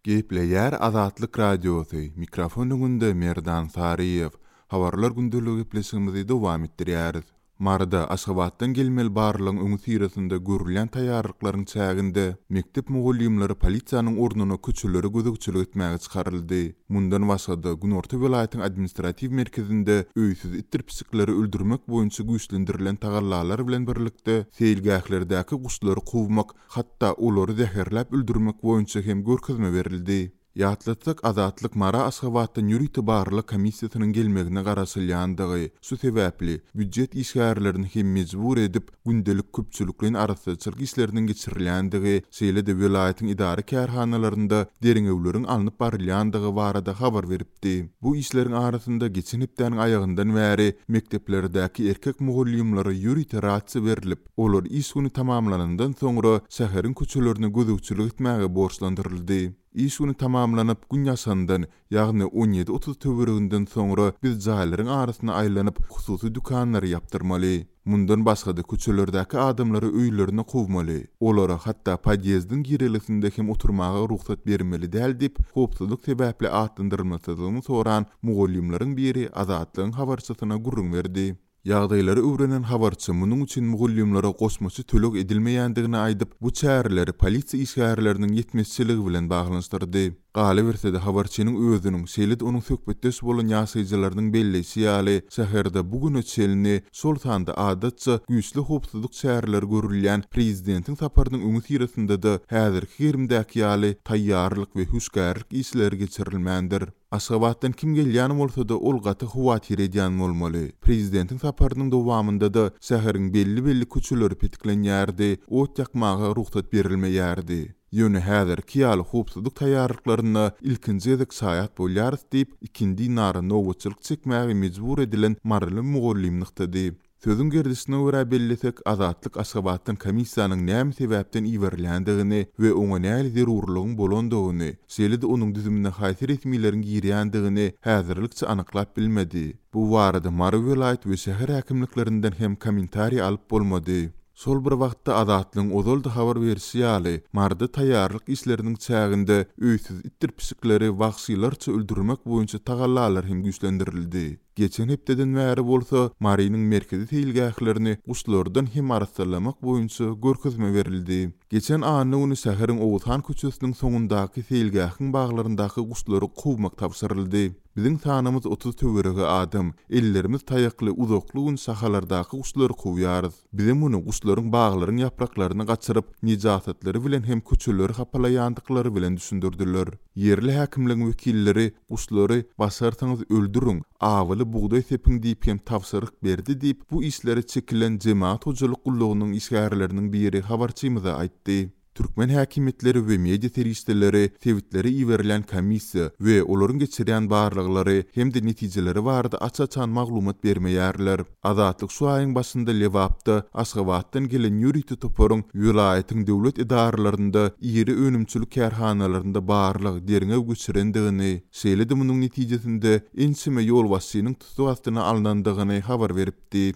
Gepleýär Azatlyk Radiosy, mikrofon öňünde Merdan Saryýew. Habarlar gündeligi gepleşigimizi dowam etdirýäris. Maryda Aşgabatdan gelmeli barlagyň öňüsyrasynda görülýän taýýarlyklaryň çäginde mekdep mugallymlary polisiýanyň ornuna köçelere gözegçilik etmäge çykaryldy. Mundan başga-da, günorta welaýatyň administratiw merkezinde öýsüz itdir pişikleri öldürmek boýunça güýçlendirilen tagallalar bilen birlikde, seýilgählerdäki guşlary kowmak, hatda olary zäherläp öldürmek boýunça hem görkezme berildi. Ýatlatsak, Azatlyk Mara Aşgabatdan ýörite barlag komissiýasynyň gelmegine garaşylýandygy, şu sebäpli, býujet işgärlerini hem mejbur edip, gündelik köpçülikleýin arassaçylyk işleriniň geçirilýändigi, şeýle-de welaýatyň edara-kärhanalarynda derňewleriň alnyp barylýandygy barada habar beripdi. Bu işleriň arasynda geçen hepdäniň aýagyndan bäri mekdeplerdäki erkek mugallymlara ýörite rasiýa berlip, olar iş güni tamamlanandan soňra şäheriň köçelerine gözegçilik etmäge borçlandyryldy. Iş güni tamamlanyp, gün ýaşandan, ýagny 17:30 töwereginden soňra biz jaýlaryň arasyna aýlanyp, hususy dükanlary ýapdyrmaly. Mundan başga-da köçelerdäki adamlary öýlerine kowmaly. Olara hatda podýezdiň girelgesinde hem oturmaga rugsat bermeli däl diýip, howpsuzlyk sebäpli atlandyrylmasyzlygyny soran mugallymlaryň biri Azatlygyň habarçysyna gürrüň berdi. Ýagdaýlary öwrenen habarçy munuň üçin mugallymlara goşmaça töleg edilmeýändigini aýdyp, bu çäreleri polisiýa işgärleriniň ýetmezçiligi bilen baglanyşdyrdy. Galyberse-de, habarçynyň özüniň, şeýle-de onuň söhbetdeş bolan ýaşaýjylarynyň belleýşi ýaly, şäherde bu güne çenli, şol sanda adatça güýçli howpsuzlyk çäreleri görülýän prezidentiň saparynyň öňüsyrasynda-da häzirki gerimdäki ýaly taýýarlyk we hüşgärlik işleri geçirilmändir. Aşgabatdan kim gelýän bolsa-da, ol gaty howatyr edýän bolmaly. Prezidentiň saparynyň dowamynda-da şäheriň belli-belli köçeleri petiklenýärdi, ot ýakmaga rugsat berilmeýärdi. Ýöne häzirki ýaly howpsuzlyk taýýarlyklaryna ilkinji gezek şaýat bolýarys diýip, ikindi nara nobatçylyk çekmäge mejbur edilen maryly mugallym nygtady. Sözüň gerdişine görä bellesek, Azatlyk Aşgabatdan komissiýanyň näme sebäpden iberilýändigini we oňa nähili zerurlygyň bolandygyny, şeýle-de onuň düzümine haýsy resmileriň girýändigini häzirlikçe anyklap bilmedi. Bu barada Mary welaýat we şäher häkimliklerinden hem kommentariý alyp bolmady. Şol bir wagtda, Azatlygyň ozal-da habar berşi ýaly, Maryda taýýarlyk işleriniň çäginde öýsüz itdir pişikleri wagşylarça öldürmek boýunça tagallalar hem güýçlendirildi. Geçen hepdeden bäri bolsa Marynyň merkezi seýilgählerini guşlardan hem arassalamak boýunça görkezme berildi. Geçen anna güni şäheriň Oguzhan köçesiniň soňundaky seýilgähiň baglaryndaky guşlary kowmak tabşyryldy. Biziň sanymyz 30 töweregi adam. Ellerimiz taýakly uzakly gün şahalardaky guşlary kowýarys. Bize muny guşlaryň baglaryň ýapraklaryny gaçyryp, nejasatlary bilen hem köçeleri hapalaýandyklary bilen düşündirdiler. Ýerli häkimligiň wekilleri guşlary başarsaňyz öldüriň, awyly bugdaý sepiň diýip hem tabşyryk berdi diýip, bu işlere çekilen jemagat hojalyk gullugynyň işgärleriniň biri habarçymyza aýtdy. Türkmen häkimiýetleri we media serişdeleri sebitlere iberilýän komissiýa we olaryň geçirýän barlaglary hem-de netijeleri barada aç-açan maglumat bermeýärler. Azatlyk şu aýyň başynda Lebapda Aşgabatdan gelen ýörite toparyň welaýatyň döwlet edaralarynda, iri önümçilik kärhanalarynda barlag, derňew geçirendigini, şeýle-de munuň netijesinde ençeme ýolbaşçynyň tussag astyna alnandygyny habar beripdi.